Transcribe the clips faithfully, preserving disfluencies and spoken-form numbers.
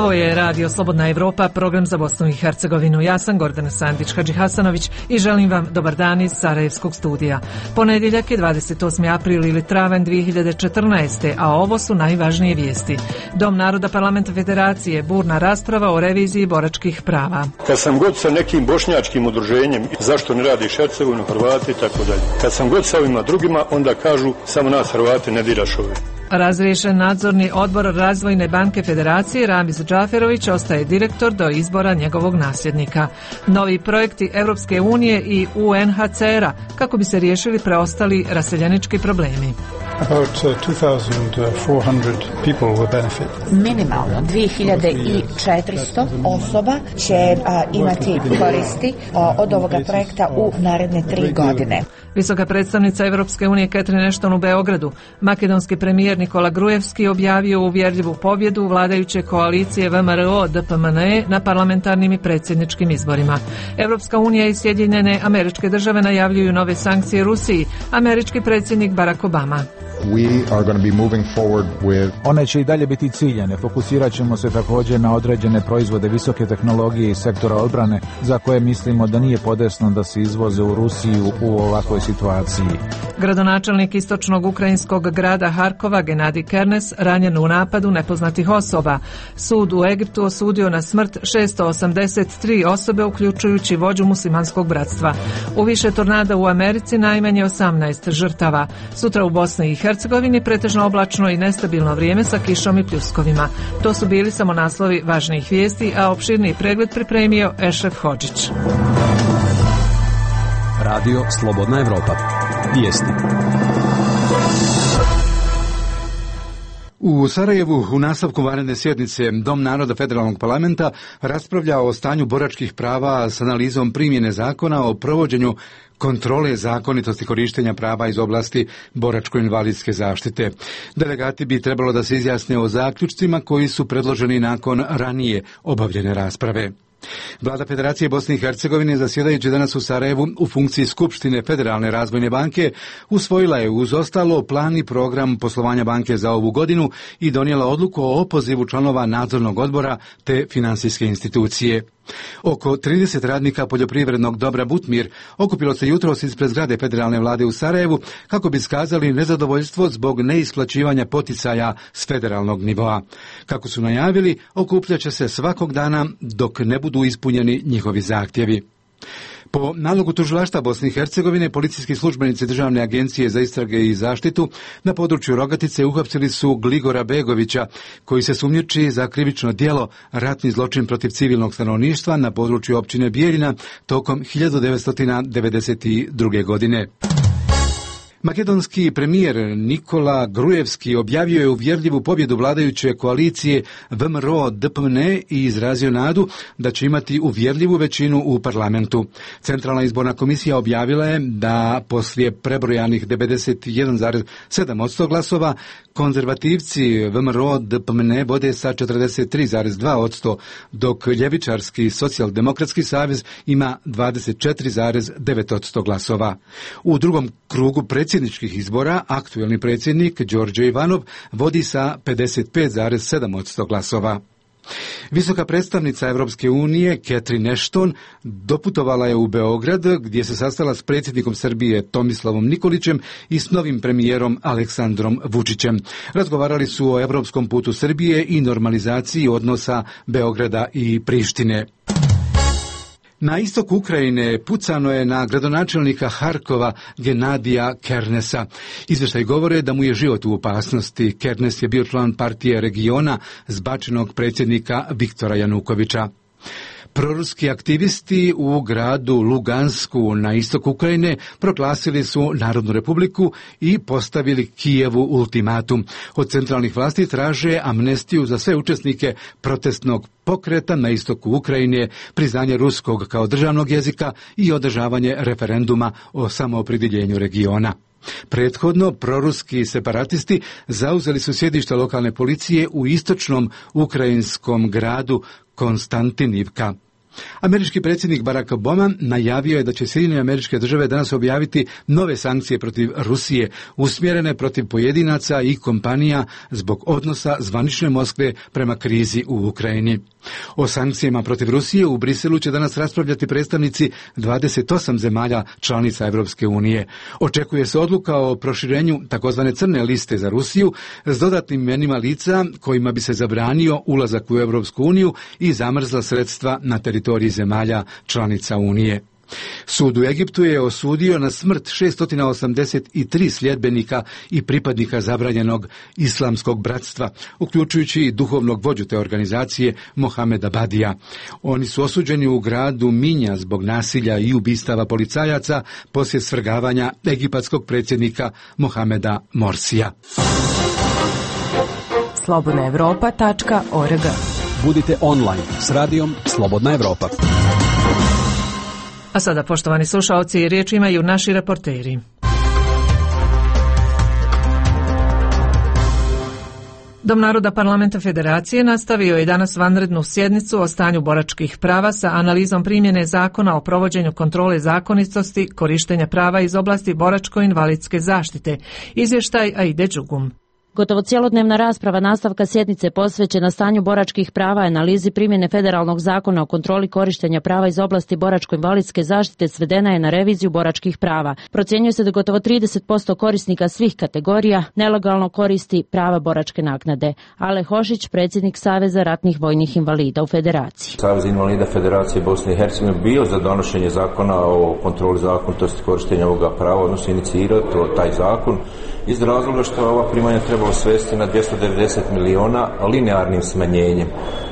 Ovo je Radio Slobodna Evropa, program za Bosnu i Hercegovinu. Ja sam Gordana Sandić-Hadžihasanović i želim vam dobar dan iz Sarajevskog studija. Ponedjeljak je dvadeset osmi april ili travanj dvije hiljade četrnaeste. a ovo su najvažnije vijesti. Dom naroda Parlamenta Federacije, burna rasprava o reviziji boračkih prava. Kad sam god sa nekim bošnjačkim udruženjem, zašto ne radiš Hercegovinu, Hrvati i tako dalje. Kad sam god sa ovima drugima, onda kažu samo nas Hrvati ne diraš ove. Razriješen nadzorni odbor Razvojne banke Federacije, Ramiz Džaferović ostaje direktor do izbora njegovog nasljednika. Novi projekti Europske unije i U N H C R-a kako bi se riješili preostali raseljenički problemi. About uh, two thousand four hundred people will benefit. Minimalno dvije hiljade četiristo osoba će uh, imati koristi uh, od ovoga projekta u naredne tri godine. Visoka predstavnica Europske unije Catherine Ashton u Beogradu. Makedonski premijer Nikola Grujevski objavio uvjerljivu pobjedu vladajuće koalicije V M R O D P M N E na parlamentarnim i predsjedničkim izborima. Europska unija i Sjedinjene Američke Države najavljuju nove sankcije Rusiji. Američki predsjednik Barack Obama. We are going to be moving forward with... One će i dalje biti ciljane. Fokusirat ćemo se također na određene proizvode visoke tehnologije iz sektora odbrane za koje mislimo da nije podesno da se izvoze u Rusiju u ovakvoj situaciji. Gradonačelnik istočnog ukrajinskog grada Harkova Genadij Kernes ranjen u napadu nepoznatih osoba. Sud u Egiptu osudio na smrt šesto osamdeset tri osobe uključujući vođu muslimanskog bratstva. U više tornada u Americi najmanje osamnaest žrtava. Sutra u Bosni i Hercegovini pretežno oblačno i nestabilno vrijeme sa kišom i pljuskovima. To su bili samo naslovi važnijih vijesti, a opširniji pregled pripremio Ešref Hodžić. Radio Slobodna Evropa. Vijesti. U Sarajevu u nastavku vanredne sjednice Dom naroda Federalnog parlamenta raspravlja o stanju boračkih prava s analizom primjene zakona o provođenju kontrole zakonitosti korištenja prava iz oblasti boračko-invalidske zaštite. Delegati bi trebalo da se izjasne o zaključcima koji su predloženi nakon ranije obavljene rasprave. Vlada Federacije Bosne i Hercegovine zasjedajući danas u Sarajevu u funkciji Skupštine Federalne razvojne banke usvojila je uz ostalo plan i program poslovanja banke za ovu godinu i donijela odluku o opozivu članova nadzornog odbora te finansijske institucije. Oko trideset radnika poljoprivrednog dobra Butmir okupilo se jutros ispred zgrade Federalne vlade u Sarajevu kako bi iskazali nezadovoljstvo zbog neisplaćivanja poticaja s federalnog nivoa. Kako su najavili, okupljaće se svakog dana dok ne budu ispunjeni njihovi zahtjevi. Po nalogu tužilaštva Bosne i Hercegovine, policijski službenici Državne agencije za istrage i zaštitu na području Rogatice uhapsili su Gligora Begovića, koji se sumnjiči za krivično djelo ratni zločin protiv civilnog stanovništva na području općine Bijeljina tokom hiljadu devetsto devedeset druge. godine. Makedonski premijer Nikola Grujevski objavio je uvjerljivu pobjedu vladajuće koalicije V M R O D P M N E i izrazio nadu da će imati uvjerljivu većinu u parlamentu. Centralna izborna komisija objavila je da poslije prebrojanih devedeset jedan zarez sedam posto glasova konzervativci V M R O D P M N E vode sa četrdeset tri zarez dva posto, dok ljevičarski socijaldemokratski savez ima dvadeset četiri zarez devet posto glasova. U drugom krugu predsjedničkih izbora aktuelni predsjednik Đorđe Ivanov vodi sa pedeset pet zarez sedam posto glasova. Visoka predstavnica Europske unije Catherine Ashton doputovala je u Beograd gdje se sastala s predsjednikom Srbije Tomislavom Nikolićem i s novim premijerom Aleksandrom Vučićem. Razgovarali su o europskom putu Srbije i normalizaciji odnosa Beograda i Prištine. Na istoku Ukrajine pucano je na gradonačelnika Harkova Genadija Kernesa. Izvještaj govore da mu je život u opasnosti. Kernes je bio član partije regiona zbačenog predsjednika Viktora Janukovića. Proruski aktivisti u gradu Lugansku na istoku Ukrajine proglasili su Narodnu republiku i postavili Kijevu ultimatum. Od centralnih vlasti traže amnestiju za sve učesnike protestnog pokreta na istoku Ukrajine, priznanje ruskog kao državnog jezika i održavanje referenduma o samoopredjeljenju regiona. Prethodno, proruski separatisti zauzeli su sjedište lokalne policije u istočnom ukrajinskom gradu Konstantinivka. Američki predsjednik Barack Obama najavio je da će Sjedinjene Američke Države danas objaviti nove sankcije protiv Rusije, usmjerene protiv pojedinaca i kompanija zbog odnosa zvanične Moskve prema krizi u Ukrajini. O sankcijama protiv Rusije u Briselu će danas raspravljati predstavnici dvadeset osam zemalja članica Europske unije. Očekuje se odluka o proširenju takozvane crne liste za Rusiju s dodatnim imenima lica kojima bi se zabranio ulazak u Europsku uniju i zamrzla sredstva na teritoriji zemalja članica Unije. Sud u Egiptu je osudio na smrt šesto osamdeset tri sljedbenika i pripadnika zabranjenog islamskog bratstva, uključujući i duhovnog vođu te organizacije Mohameda Badija. Oni su osuđeni u gradu Minja zbog nasilja i ubistava policajaca poslije svrgavanja egipatskog predsjednika Mohameda Morsija. slobodna europa tačka org. Budite online s radijom Slobodna Evropa. A sada, poštovani slušaoci, riječ imaju naši reporteri. Dom naroda Parlamenta Federacije nastavio je danas vanrednu sjednicu o stanju boračkih prava sa analizom primjene zakona o provođenju kontrole zakonitosti korištenja prava iz oblasti boračko-invalidske zaštite. Izvještaj Aide Đugum. Gotovo cjelodnevna rasprava nastavka sjednice posvećena stanju boračkih prava i analizi primjene federalnog zakona o kontroli korištenja prava iz oblasti boračko-invalidske zaštite svedena je na reviziju boračkih prava. Procjenjuje se da gotovo trideset posto korisnika svih kategorija nelegalno koristi prava boračke naknade. Ale Hošić, predsjednik Saveza ratnih vojnih invalida u Federaciji. Savez invalida Federacije Bosne i Hercegovine bio za donošenje zakona o kontroli zakonitosti korištenja ovoga prava, odnosno inicirati taj zakon iz razloga što ova primanja trebalo svesti na dvjesto devedeset miliona linearnim smanjenjem.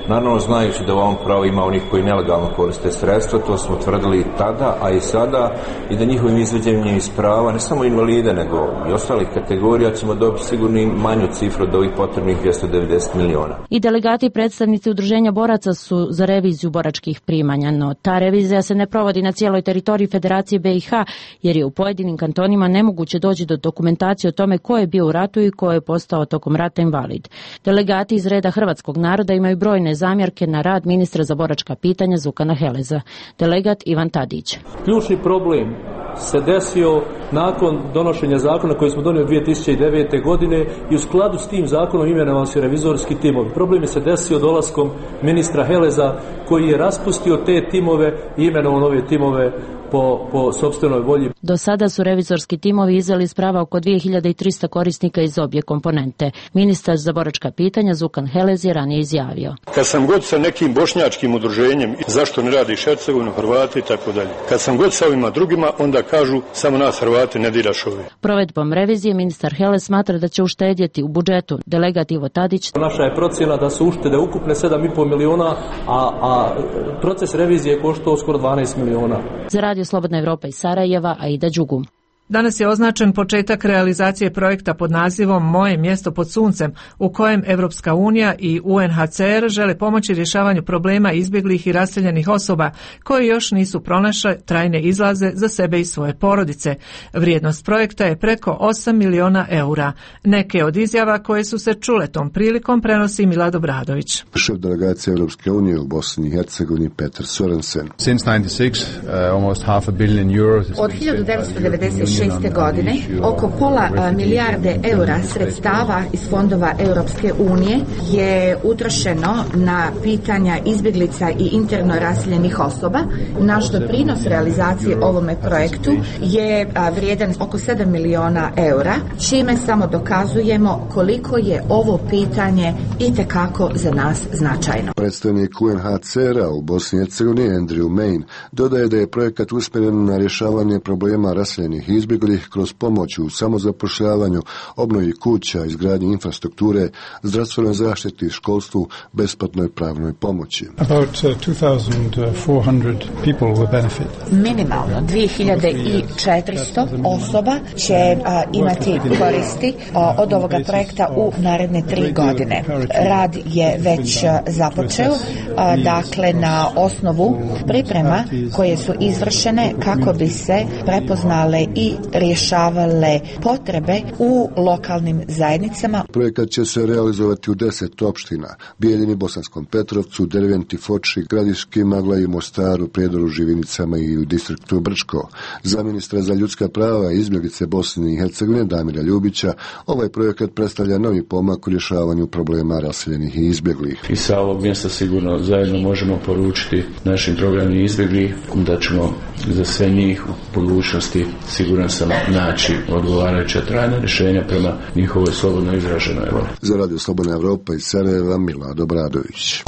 Naravno, znajući da u ovom pravu ima onih koji nelegalno koriste sredstva, to smo tvrdili i tada, a i sada, i da njihovim izveđenjem iz prava, ne samo invalide, nego i ostalih kategorija, ćemo dobiti sigurno i manju cifru od ovih potrebnih dvjesto devedeset miliona. I delegati i predstavnici udruženja boraca su za reviziju boračkih primanja, no ta revizija se ne provodi na cijeloj teritoriji Federacije B i H, jer je u pojedinim kantonima nemoguće doći do dokumentacije o tome ko je bio u ratu i ko je postao tokom rata invalid. Delegati iz reda hrvatskog naroda imaju brojne zamjerke na rad ministra za boračka pitanja Zukana Heleza. Delegat Ivan Tadić. Ključni problem se desio nakon donošenja zakona koji smo donijeli dvije tisuće devete. godine i u skladu s tim zakonom imenovali su revizorski timovi. Problem je se desio dolaskom ministra Heleza koji je raspustio te timove i imenovao nove timove po, po sopstvenoj volji. Do sada su revizorski timovi izdali iz prava oko dvije hiljade trista korisnika iz obje komponente. Ministar za boračka pitanja Zukan Helez je ranije izjavio. Kad sam god sa nekim bošnjačkim udruženjem, zašto ne radiš Hercegovinu, Hrvati i tako dalje. Kad sam god sa ovima drugima, onda kažu samo nas Hrvati ne diraš ove. Provedbom revizije ministar Helez smatra da će uštedjeti u budžetu. Delegat Ivo Tadić. Naša je procjena da su uštede ukupne sedam i pol miliona, a, a proces revizije koštao skoro dvanaest miliona. Za Radio Slobodna Evropa iz Sarajeva, Aida Đugum. Danas je označen početak realizacije projekta pod nazivom Moje mjesto pod suncem, u kojem Evropska unija i U N H C R žele pomoći rješavanju problema izbjeglih i raseljenih osoba koje još nisu pronašle trajne izlaze za sebe i svoje porodice. Vrijednost projekta je preko osam miliona eura. Neke od izjava koje su se čule tom prilikom prenosi Milad Obradović. Šef delegacije Europske unije u Bosni i Hercegovini Petar Sorensen. Since ninety-six, uh, almost half a billion euros. Od hiljadu devetsto devedeset šeste. godine oko pola milijarde eura sredstava iz fondova Europske unije je utrošeno na pitanja izbjeglica i interno raseljenih osoba. Naš doprinos realizacije ovome projektu je vrijedan oko sedam miliona eura, čime samo dokazujemo koliko je ovo pitanje itekako za nas značajno. Predstavnik U N H C R-a u Bosni i Hercegovini Andrew Main dodaje da je projekat usmjeren na rješavanje problema raseljenih i izbjeglih kroz pomoć u samozapošljavanju, obnovi kuća, izgradnji infrastrukture, zdravstvenoj zaštiti, školstvu, besplatnoj pravnoj pomoći. About uh, two thousand four hundred people will benefit. Minimalno dvije hiljade četiristo osoba će a, imati koristi a, od ovoga projekta u naredne tri godine. Rad je već a, započeo, a, dakle na osnovu priprema koje su izvršene kako bi se prepoznale i rješavale potrebe u lokalnim zajednicama. Projekat će se realizovati u deset opština: Bijeljini, Bosanskom Petrovcu, Derventi, Foči, Gradiški, Maglaju, Mostaru, Prijedoru, Živinicama i u distriktu Brčko. Za ministra za ljudska prava i izbjeglice Bosne i Hercegovine Damira Ljubića ovaj projekat predstavlja novi pomak u rješavanju problema raseljenih i izbjeglih. I sa ovog mjesta sigurno zajedno možemo poručiti našim programima izbjeglih da ćemo za sve njih u budućnosti siguran sam naći odgovarajuća trajna rješenja prema njihovoj slobodno izraženoj volji. Za Radio Slobodna Evropa iz Sarajeva, Milad Obradović.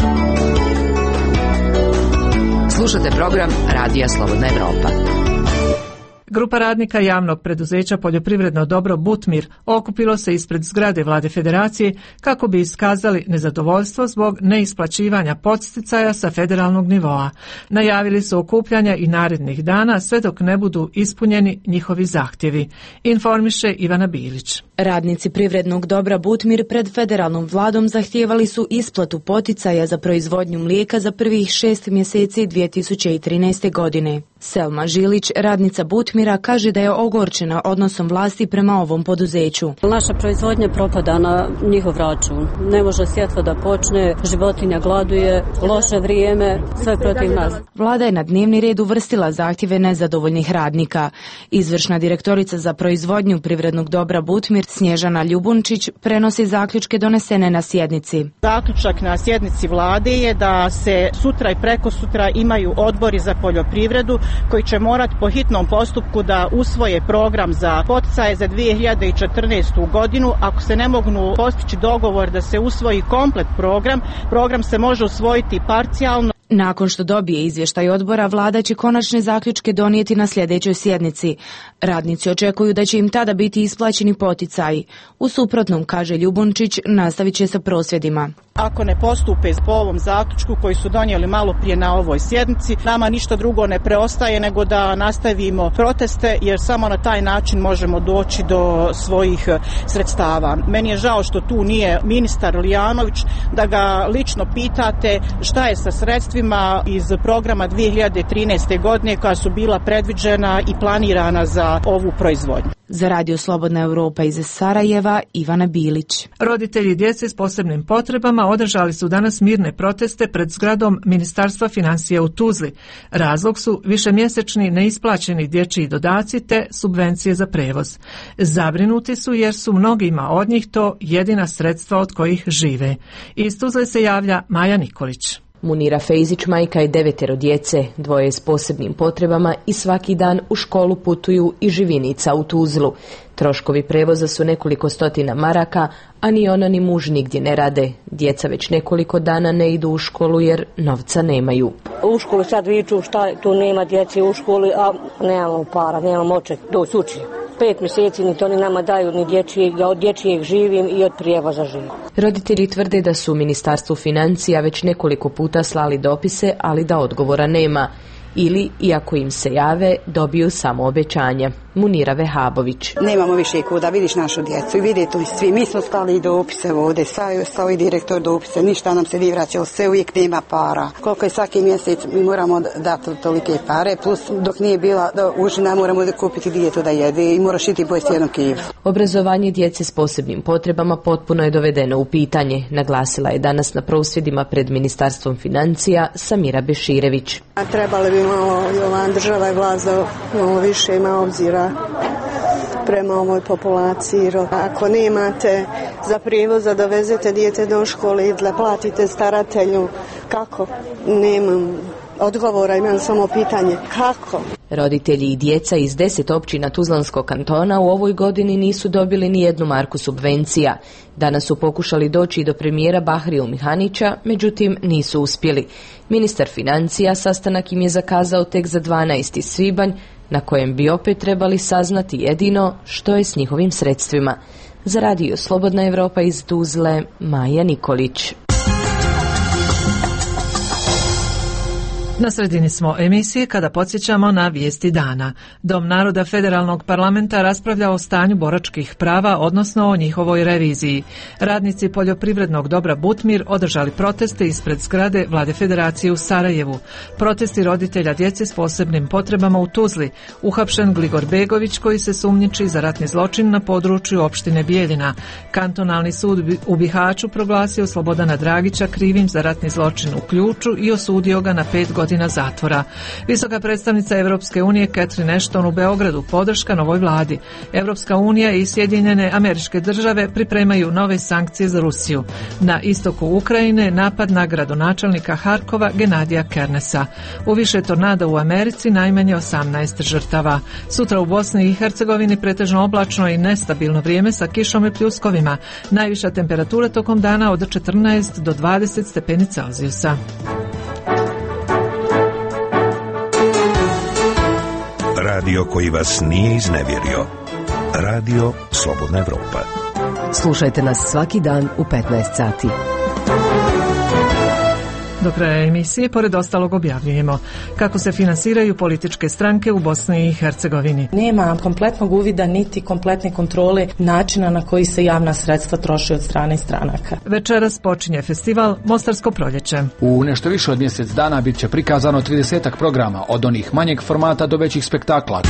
Slušate program Radija Slobodna Evropa. Grupa radnika javnog preduzeća Poljoprivredno dobro Butmir okupilo se ispred zgrade Vlade Federacije kako bi iskazali nezadovoljstvo zbog neisplaćivanja podsticaja sa federalnog nivoa. Najavili su okupljanja i narednih dana sve dok ne budu ispunjeni njihovi zahtjevi. Informiše Ivana Bilić. Radnici Privrednog dobra Butmir pred federalnom vladom zahtijevali su isplatu poticaja za proizvodnju mlijeka za prvih šest mjeseci dvije tisuće trinaeste. godine. Selma Žilić, radnica Butmira, kaže da je ogorčena odnosom vlasti prema ovom poduzeću. Naša proizvodnja propada na njihov račun. Ne može sjetva da počne, životinja gladuje, loše vrijeme, sve protiv nas. Vlada je na dnevni red uvrstila zahtjeve nezadovoljnih radnika. Izvršna direktorica za proizvodnju Privrednog dobra Butmir Snježana Ljubunčić prenosi zaključke donesene na sjednici. Zaključak na sjednici vlade je da se sutra i preko sutra imaju odbori za poljoprivredu koji će morati po hitnom postupku da usvoje program za poticaje za dvije hiljade četrnaestu. godinu. Ako se ne mogu postići dogovor da se usvoji komplet program, program se može usvojiti parcijalno. Nakon što dobije izvještaj odbora, vlada će konačne zaključke donijeti na sljedećoj sjednici. Radnici očekuju da će im tada biti isplaćeni poticaji. U suprotnom, kaže Ljubunčić, nastavit će sa prosvjedima. Ako ne postupe po ovom zaključku koji su donijeli malo prije na ovoj sjednici, nama ništa drugo ne preostaje nego da nastavimo proteste, jer samo na taj način možemo doći do svojih sredstava. Meni je žao što tu nije ministar Lijanović, da ga lično pitate šta je sa sredstvima iz programa dvije hiljade trinaeste. godine koja su bila predviđena i planirana za ovu proizvodnju. Za Radio Slobodna Evropa iz Sarajeva, Ivana Bilić. Roditelji djece s posebnim potrebama održali su danas mirne proteste pred zgradom Ministarstva financija u Tuzli. Razlog su višemjesečni neisplaćeni dječji dodaci te subvencije za prevoz. Zabrinuti su jer su mnogima od njih to jedina sredstva od kojih žive. Iz Tuzle se javlja Maja Nikolić. Munira Fejzić majka je devetero djece, dvoje s posebnim potrebama i svaki dan u školu putuju i Živinica u Tuzlu. Troškovi prevoza su nekoliko stotina maraka, a ni ona ni muž nigdje ne rade. Djeca već nekoliko dana ne idu u školu jer novca nemaju. U školu sad viču šta tu nema djece u školi, a nemamo para, nemamo oček doći uči. Pet mjeseci ni to ni nama daju, ni dječjeg, ja od dječjeg živim i od prijevoza živim. Roditelji tvrde da su Ministarstvu financija već nekoliko puta slali dopise, ali da odgovora nema. Ili, iako im se jave, dobiju samo obećanja. Munira Vehabović. Nemamo više kuda, vidiš našu djecu i vidi tu svi. Mi smo stali dopise ovdje, stao i direktor dopise, ništa nam se nije vraćalo, sve uvijek nema para. Koliko je svaki mjesec mi moramo dati tolike pare, plus dok nije bila užina moramo da kupiti djetu da jede i moraš iti pojesti jednu kilu. Obrazovanje djece s posebnim potrebama potpuno je dovedeno u pitanje, naglasila je danas na prosvjedima pred Ministarstvom financija Samira Beširević. A trebali bi malo i ova država i vlast da malo više ima obzira prema ovoj populaciji. Ako nemate za prijevoz da dovezete dijete do škole i da platite staratelju, kako? Nemam odgovora, imam samo pitanje kako? Roditelji i djeca iz deset općina Tuzlanskog kantona u ovoj godini nisu dobili ni jednu marku subvencija. Danas su pokušali doći do premijera Bahriju Mihanića, međutim nisu uspjeli. Ministar financija sastanak im je zakazao tek za dvanaesti svibanj, na kojem bi opet trebali saznati jedino što je s njihovim sredstvima. Za Radio Slobodna Evropa iz Tuzle, Maja Nikolić. Na sredini smo emisije kada podsjećamo na vijesti dana. Dom naroda Federalnog parlamenta raspravlja o stanju boračkih prava, odnosno o njihovoj reviziji. Radnici poljoprivrednog dobra Butmir održali proteste ispred zgrade Vlade Federacije u Sarajevu. Protesti roditelja djece s posebnim potrebama u Tuzli. Uhapšen Gligor Begović koji se sumnjiči za ratni zločin na području opštine Bijeljina. Kantonalni sud u Bihaću proglasio Slobodana Dragića krivim za ratni zločin u Ključu i osudio ga na pet godina godina zatvora. Visoka predstavnica Europske unije Catherine Ashton u Beogradu podrška novoj vladi. Europska unija i Sjedinjene Američke Države pripremaju nove sankcije za Rusiju. Na istoku Ukrajine napad na gradonačelnika Harkova Genadija Kernesa. U više tornada u Americi najmanje osamnaest žrtava. Sutra u Bosni i Hercegovini pretežno oblačno i nestabilno vrijeme sa kišom i pljuskovima. Najviša temperatura tokom dana od četrnaest do dvadeset stepeni Celzijusa. Radio koji vas nije iznevjerio. Radio Slobodna Evropa. Slušajte nas svaki dan u petnaest sati. Do kraja emisije, pored ostalog, objavljujemo kako se finansiraju političke stranke u Bosni i Hercegovini. Nema kompletnog uvida niti kompletne kontrole načina na koji se javna sredstva troše od strane stranaka. Večeras počinje festival Mostarsko proljeće. U nešto više od mjesec dana bit će prikazano tridesetak programa, od onih manjeg formata do većih spektakla.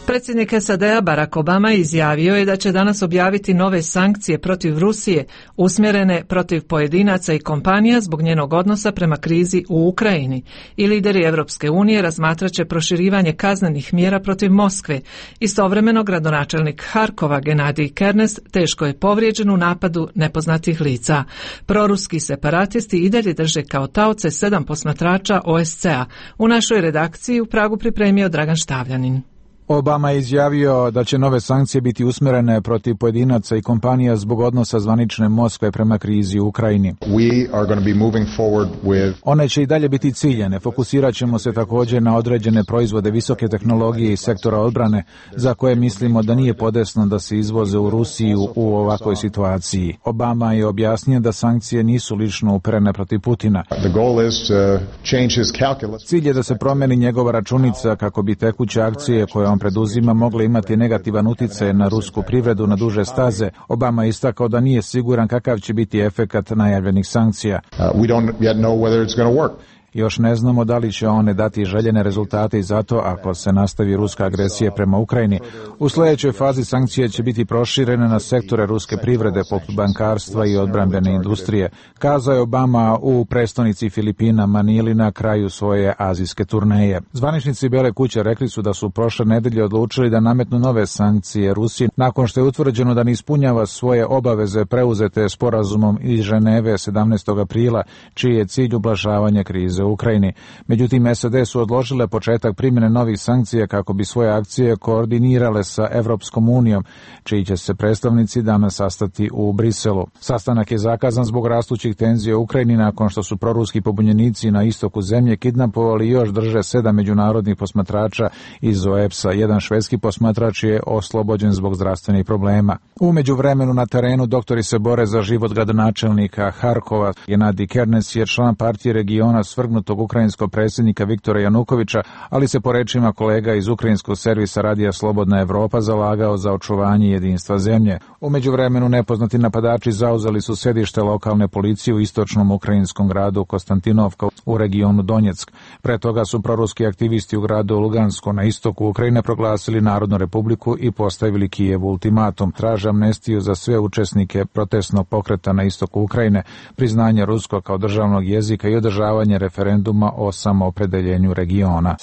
Predsjednik S A D-a Barack Obama izjavio je da će danas objaviti nove sankcije protiv Rusije, usmjerene protiv pojedinaca i kompanija zbog njenog odnosa prema krizi u Ukrajini. I lideri Europske unije razmatraće proširivanje kaznenih mjera protiv Moskve. Istovremeno gradonačelnik Harkova Genadij Kernes teško je povrijeđen u napadu nepoznatih lica. Proruski separatisti i dalje drže kao taoce sedam posmatrača O S C-a. U našoj redakciji u Pragu pripremio Dragan Štavljanin. Obama je izjavio da će nove sankcije biti usmjerene protiv pojedinaca i kompanija zbog odnosa zvanične Moskve prema krizi u Ukrajini. We are going to be moving forward with... One će i dalje biti ciljene. Fokusirat ćemo se također na određene proizvode visoke tehnologije i sektora odbrane za koje mislimo da nije podesno da se izvoze u Rusiju u ovakvoj situaciji. Obama je objasnio da sankcije nisu lično uperene protiv Putina. The goal is to change his calculus. Cilj je da se promijeni njegova računica kako bi tekuće akcije koje on preduzima mogle imati negativan utjecaj na rusku privredu na duže staze. Obama je istakao da nije siguran kakav će biti efekat najavljenih sankcija. Uh, we don't yet know whether it's going to work. Još ne znamo da li će one dati željene rezultate i zato ako se nastavi ruska agresija prema Ukrajini. U sljedećoj fazi sankcije će biti proširene na sektore ruske privrede poput bankarstva i odbrambene industrije, kazao je Obama u prestonici Filipina Manili na kraju svoje azijske turneje. Zvaničnici Bijele kuće rekli su da su prošle nedelje odlučili da nametnu nove sankcije Rusiji nakon što je utvrđeno da ne ispunjava svoje obaveze preuzete sporazumom iz Ženeve sedamnaestog aprila, čiji je cilj ublažavanje krize u Ukrajini. Međutim, S A D su odložile početak primjene novih sankcija kako bi svoje akcije koordinirale sa Evropskom unijom, čiji će se predstavnici danas sastati u Briselu. Sastanak je zakazan zbog rastućih tenzija u Ukrajini nakon što su proruski pobunjenici na istoku zemlje kidnapovali i još drže sedam međunarodnih posmatrača iz O E P S-a. Jedan švedski posmatrač je oslobođen zbog zdravstvenih problema. U međuvremenu na terenu doktori se bore za život gradonačelnika Harkova. Genadij Kernes je član partije regiona svrgnutog ukrajinskog predsjednika Viktora Janukovića, ali se po rečima kolega iz ukrajinskog servisa Radija Slobodna Evropa zalagao za očuvanje jedinstva zemlje. U međuvremenu nepoznati napadači zauzeli su sedište lokalne policije u istočnom ukrajinskom gradu Konstantinovka u regionu Donjeck. Pre toga su proruski aktivisti u gradu Lugansko na istoku Ukrajine proglasili Narodnu republiku i postavili Kijevu ultimatum. Traže amnestiju za sve učesnike protestnog pokreta na istoku Ukrajine, priznanje ruskog kao državnog jezika i održavanje referenduma o samoopredeljenju regiona.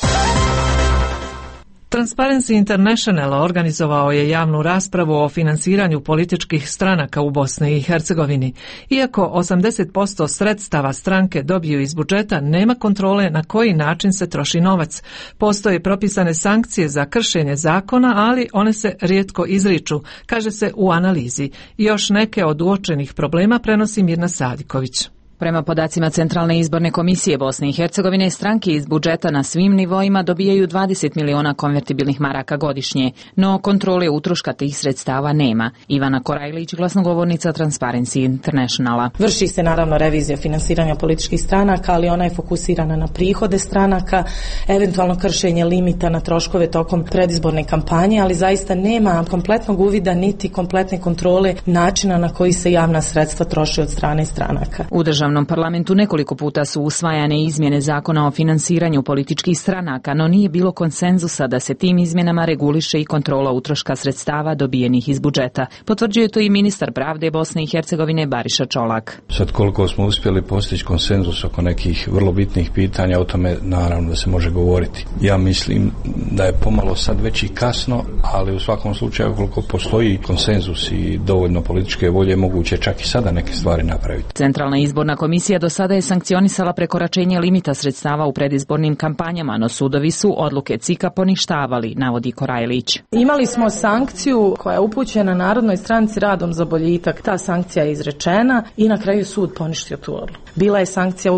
Transparency International organizovao je javnu raspravu o finansiranju političkih stranaka u Bosni i Hercegovini. Iako osamdeset posto sredstava stranke dobiju iz budžeta, nema kontrole na koji način se troši novac. Postoje propisane sankcije za kršenje zakona, ali one se rijetko izriču, kaže se u analizi. Još neke od uočenih problema prenosi Mirna Sadiković. Prema podacima Centralne izborne komisije Bosne i Hercegovine, stranke iz budžeta na svim nivoima dobijaju dvadeset miliona konvertibilnih maraka godišnje, no kontrole utroška tih sredstava nema. Ivana Korajlić, glasnogovornica Transparency Internationala. Vrši se naravno revizija finansiranja političkih stranaka, ali ona je fokusirana na prihode stranaka, eventualno kršenje limita na troškove tokom predizborne kampanje, ali zaista nema kompletnog uvida niti kompletne kontrole načina na koji se javna sredstva troše od strane stranaka. U državnom parlamentu nekoliko puta su usvajane izmjene zakona o finansiranju političkih stranaka, no nije bilo konsenzusa da se tim izmjenama reguliše i kontrola utroška sredstava dobijenih iz budžeta. Potvrđuje to i ministar pravde Bosne i Hercegovine Bariša Čolak. Sad koliko smo uspjeli postići konsenzus oko nekih vrlo bitnih pitanja, o tome naravno da se može govoriti. Ja mislim da je pomalo sad već i kasno, ali u svakom slučaju koliko postoji konsenzus i dovoljno političke volje, moguće čak i sada neke stvari napraviti. Centralna izborna komisija do sada je sankcionisala prekoračenje limita sredstava u predizbornim kampanjama, no sudovi su odluke C I K-a poništavali, navodi Korajlić. Imali smo sankciju koja je upućena Narodnoj stranci Radom za boljitak. Ta sankcija je izrečena i na kraju sud poništio tu odluku. Bila je sankcija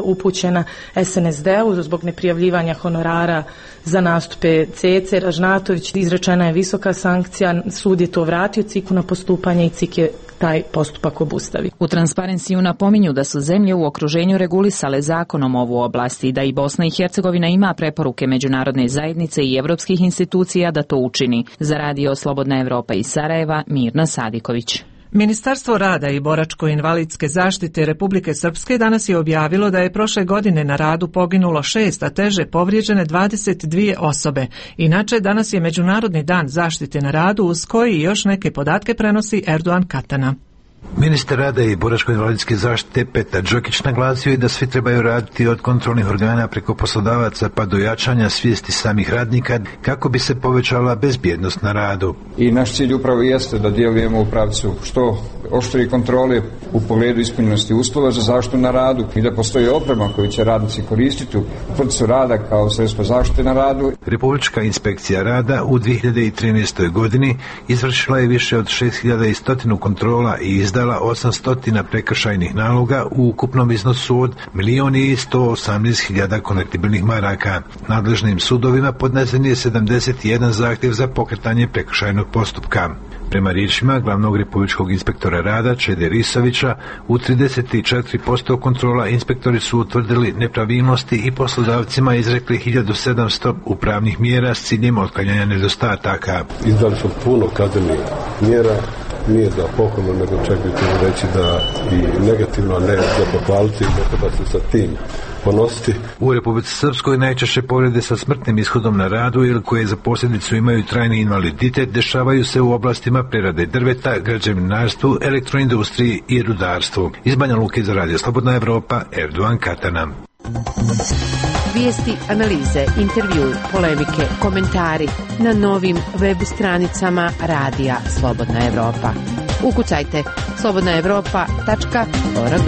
upućena S N S D-u zbog neprijavljivanja honorara za nastupe Cece Ražnatović. Izrečena je visoka sankcija, sud je to vratio C I K-u na postupanje i C I K je taj postupak obustavi. U Transparenciju napominju da su zemlje u okruženju regulisale zakonom ovu oblast i da i Bosna i Hercegovina ima preporuke međunarodne zajednice i evropskih institucija da to učini. Za Radio Slobodna Evropa iz Sarajeva, Mirna Sadiković. Ministarstvo rada i boračko-invalidske zaštite Republike Srpske danas je objavilo da je prošle godine na radu poginulo šest, a teže povrijeđene dvadeset dvije osobe. Inače, danas je Međunarodni dan zaštite na radu, uz koji još neke podatke prenosi Erdogan Katana. Ministar rada i boračko-invalidske zaštite Petar Đokić naglasio je da svi trebaju raditi od kontrolnih organa preko poslodavaca pa do jačanja svijesti samih radnika kako bi se povećala bezbjednost na radu. I naš cilj upravo jeste da djelujemo u pravcu što oštrije kontrole u pogledu ispunjenosti uslova za zaštitu na radu i da postoji oprema koju će radnici koristiti u procesu rada kao sredstvo zaštite na radu. Republička inspekcija rada u dvije hiljade trinaestoj. godini izvršila je više od šest hiljada sto kontrola i izdala osamsto prekršajnih naloga u ukupnom iznosu od milion i sto osamnaest hiljada konvertibilnih maraka. Nadležnim sudovima podnesen je sedamdeset jedan zahtjev za pokretanje prekršajnog postupka. Prema riječima glavnog republičkog inspektora rada Čede Risovića, u trideset četiri posto kontrola inspektori su utvrdili nepravilnosti i poslodavcima izrekli hiljadu sedamsto upravnih mjera s ciljem otklanjanja nedostataka. Izdali smo puno kaznenih mjera, nije za pohvalno, nego čak bi ćemo reći da i negativno, a ne za pohvaliti, ne treba se sa tim ponositi. U Republici Srpskoj najčešće povrede sa smrtnim ishodom na radu ili koje za posljedicu imaju trajni invaliditet dešavaju se u oblastima prerade drveta, građevinarstvu, elektroindustriji i rudarstvu. Iz Banja Luke za Radio Slobodna Evropa, Erdogan Katana. Vijesti, analize, intervju, polemike, komentari na novim web stranicama Radija Slobodna Evropa. Ukucajte slobodna evropa tačka org.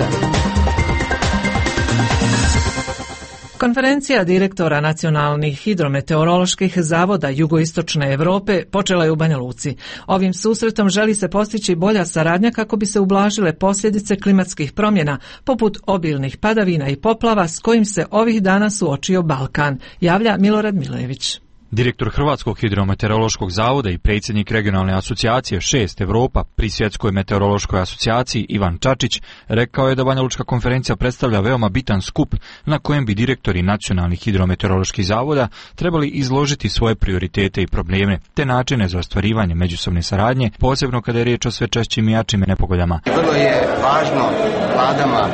Konferencija direktora nacionalnih hidrometeoroloških zavoda jugoistočne Europe počela je u Banja Luci. Ovim susretom želi se postići bolja saradnja kako bi se ublažile posljedice klimatskih promjena, poput obilnih padavina i poplava s kojim se ovih dana suočio Balkan, javlja Milorad Milojević. Direktor Hrvatskog hidrometeorološkog zavoda i predsjednik regionalne asocijacije šest Evropa pri Svjetskoj meteorološkoj asocijaciji Ivan Čačić rekao je da Banja Lučka konferencija predstavlja veoma bitan skup na kojem bi direktori nacionalnih hidrometeoroloških zavoda trebali izložiti svoje prioritete i probleme, te načine za ostvarivanje međusobne saradnje, posebno kada je riječ o sve češćim i jačim nepogodama. Vrlo je važno vladama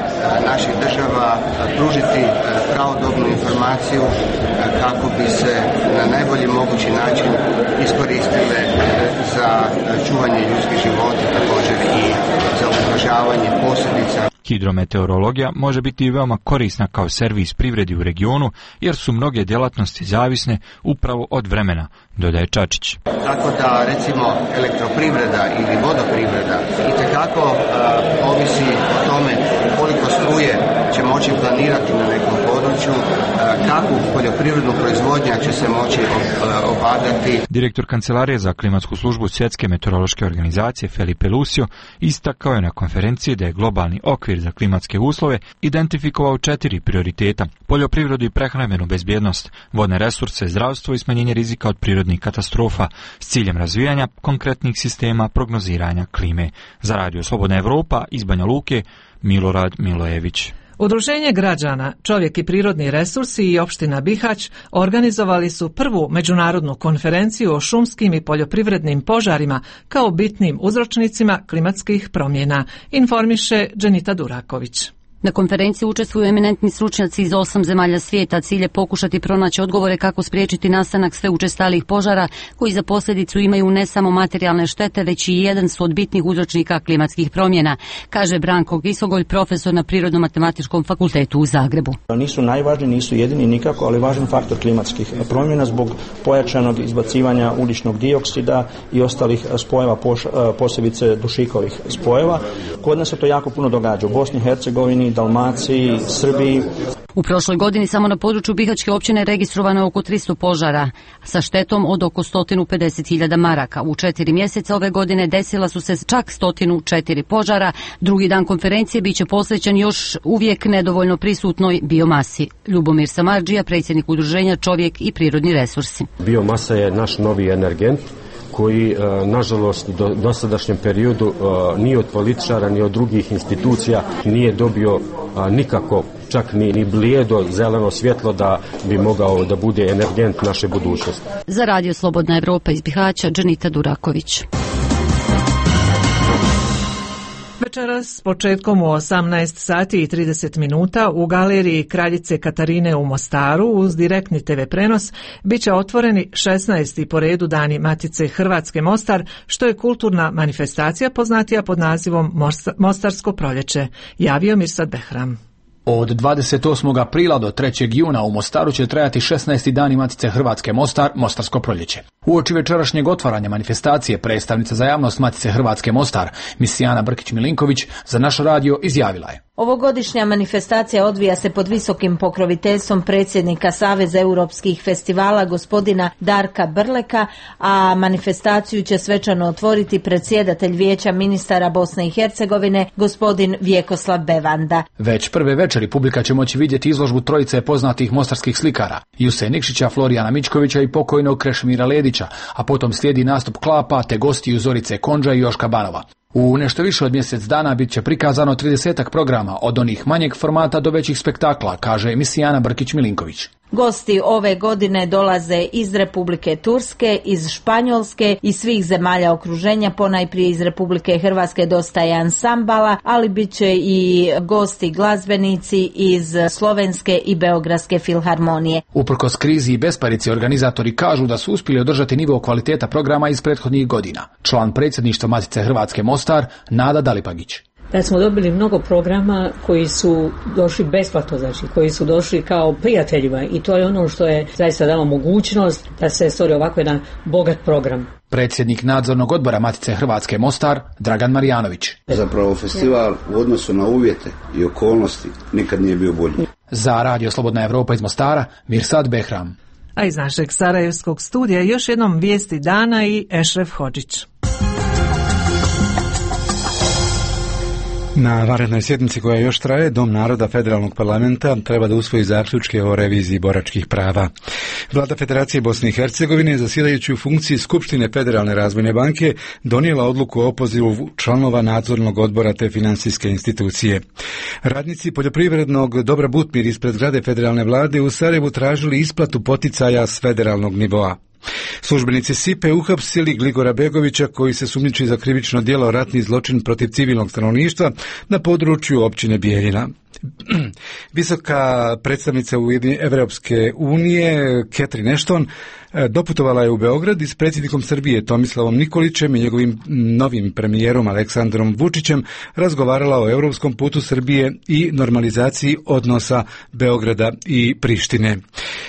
naših država pružiti pravodobnu informaciju kako bi se na najbolji mogući način iskoristile za čuvanje ljudskih života, također i za ublažavanje posljedica. Hidrometeorologija može biti veoma korisna kao servis privredi u regionu, jer su mnoge djelatnosti zavisne upravo od vremena, dodaje Čačić. Tako da, recimo, elektroprivreda ili vodoprivreda itekako uh, ovisi o tome koliko struje će moći planirati na nekom području. području, kakvu poljoprivrednu proizvodnju će se moći obavljati. Direktor Kancelarije za klimatsku službu Svjetske meteorološke organizacije Felipe Lucio istakao je na konferenciji da je globalni okvir za klimatske uslove identifikovao četiri prioriteta: poljoprivredu i prehrambenu bezbjednost, vodne resurse, zdravstvo i smanjenje rizika od prirodnih katastrofa s ciljem razvijanja konkretnih sistema prognoziranja klime. Za Radio Slobodna Evropa iz Banja Luke, Milorad Milojević. Udruženje građana, Čovjek i prirodni resursi i opština Bihać organizovali su prvu međunarodnu konferenciju o šumskim i poljoprivrednim požarima kao bitnim uzročnicima klimatskih promjena, informiše Dženita Duraković. Na konferenciji učestvuju eminentni stručnjaci iz osam zemalja svijeta. Cilj je pokušati pronaći odgovore kako spriječiti nastanak sve učestalijih požara koji za posljedicu imaju ne samo materijalne štete, već i jedan su od bitnih uzročnika klimatskih promjena, kaže Branko Gisogolj, profesor na Prirodno-matematičkom fakultetu u Zagrebu. Nisu najvažniji, nisu jedini nikako, ali važan faktor klimatskih promjena zbog pojačanog izbacivanja ugljičnog dioksida i ostalih spojeva, posebice dušikovih spojeva. Kod nas se to jako puno događa u Bosni i Hercegovini, Dalmaciji, Srbiji. U prošloj godini samo na području Bihaćke općine registrovano je oko tristo požara sa štetom od oko sto pedeset hiljada maraka. U četiri mjeseca ove godine desila su se čak sto četiri požara. Drugi dan konferencije bit će posvećen još uvijek nedovoljno prisutnoj biomasi. Ljubomir Samardžija, predsjednik udruženja Čovjek i prirodni resursi. Biomasa je naš novi energent koji, nažalost, do dosadašnjem periodu ni od političara, ni od drugih institucija nije dobio nikako, čak ni, ni blijedo zeleno svjetlo da bi mogao da bude energent naše budućnosti. Za Radio Slobodna Evropa iz Bihaća, Dženita Duraković. Večeras početkom u osamnaest sati i trideset minuta u galeriji Kraljice Katarine u Mostaru uz direktni te ve prenos biće otvoreni šesnaesti po redu Dani Matice Hrvatske Mostar, što je kulturna manifestacija poznatija pod nazivom Mostarsko proljeće, javio Mirsad Behram. Od dvadeset osmog aprila do trećeg juna u Mostaru će trajati šesnaesti Dani Matice Hrvatske Mostar, Mostarsko proljeće. Uoči večerašnjeg otvaranja manifestacije predstavnica za javnost Matice Hrvatske Mostar, Misijana Brkić-Milinković, za naš radio izjavila je: Ovogodišnja manifestacija odvija se pod visokim pokroviteljstvom predsjednika Saveza europskih festivala gospodina Darka Brleka, a manifestaciju će svečano otvoriti predsjedatelj Vijeća ministara Bosne i Hercegovine gospodin Vjekoslav Bevanda. Već prve večeri publika će moći vidjeti izložbu trojice poznatih mostarskih slikara, Juse Nikšića, Florijana Mičkovića i pokojnog Krešimira Ledića, a potom slijedi nastup Klapa te gostiju Zorice Konđa i Joška Banova. U nešto više od mjesec dana bit će prikazano tridesetak programa, od onih manjeg formata do većih spektakla, kaže Misijana Brkić-Milinković. Gosti ove godine dolaze iz Republike Turske, iz Španjolske i svih zemalja okruženja, ponajprije iz Republike Hrvatske dosta je ansambala, ali bit će i gosti glazbenici iz Slovenske i Beogradske filharmonije. Uprkos krizi i besparici, organizatori kažu da su uspjeli održati nivo kvaliteta programa iz prethodnih godina. Član predsjedništva Matice Hrvatske Mostar, Nada Dalipagić. Da smo dobili mnogo programa koji su došli besplatno, znači koji su došli kao prijateljima, i to je ono što je zaista dalo mogućnost da se stvori ovako jedan bogat program. Predsjednik nadzornog odbora Matice Hrvatske Mostar, Dragan Marjanović. Zapravo festival u odnosu na uvjete i okolnosti nikad nije bio bolji. Za Radio Slobodna Evropa iz Mostara, Mirsad Behram. A iz našeg sarajevskog studija još jednom vijesti dana i Ešref Hodžić. Na vanrednoj sjednici koja još traje, Dom naroda Federalnog parlamenta treba da usvoji zaključke o reviziji boračkih prava. Vlada Federacije Bosne i Hercegovine, zasjedajući u funkciji Skupštine Federalne razvojne banke, donijela odluku o opozivu članova nadzornog odbora te financijske institucije. Radnici poljoprivrednog Dobra Butmir ispred zgrade Federalne vlade u Sarajevu tražili isplatu poticaja s federalnog nivoa. Službenici S I P E uhapsili Gligora Begovića, koji se sumnjiči za krivično djelo ratni zločin protiv civilnog stanovništva na području općine Bijeljina. Visoka predstavnica Evropske unije Catherine Ashton doputovala je u Beograd i s predsjednikom Srbije Tomislavom Nikolićem i njegovim novim premijerom Aleksandrom Vučićem razgovarala o europskom putu Srbije i normalizaciji odnosa Beograda i Prištine.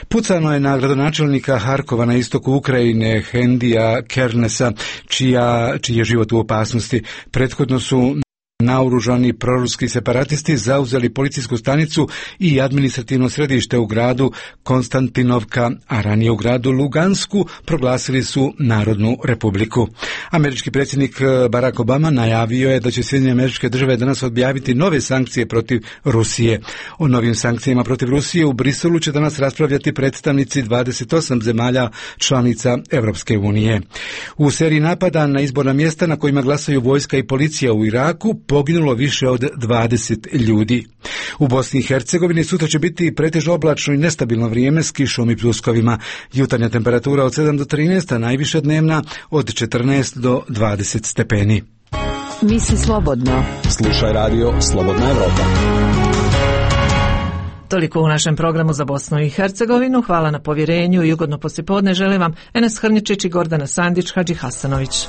Pucano je na gradonačelnika Harkova na istoku Ukrajine Hendija Kernesa, čija, čiji je život u opasnosti. Prethodno su Naoružani proruski separatisti zauzeli policijsku stanicu i administrativno središte u gradu Konstantinovka, a ranije u gradu Lugansku proglasili su Narodnu republiku. Američki predsjednik Barack Obama najavio je da će Sjedinjene Američke Države danas objaviti nove sankcije protiv Rusije. O novim sankcijama protiv Rusije u Briselu će danas raspravljati predstavnici dvadeset osam zemalja članica Europske unije. U seriji napada na izborna mjesta na kojima glasaju vojska i policija u Iraku poginulo više od dvadeset ljudi. U Bosni i Hercegovini sutra će biti pretežno oblačno i nestabilno vrijeme s kišom i pljuskovima. Jutarnja temperatura od sedam do trinaest, a najviša dnevna od četrnaest do dvadeset stepeni. Misli slobodno. Slušaj radio Slobodna Evropa. Toliko u našem programu za Bosnu i Hercegovinu. Hvala na povjerenju i ugodno poslijepodne želim vam Enes Hrničić i Gordana Sandić Hadži Hasanović.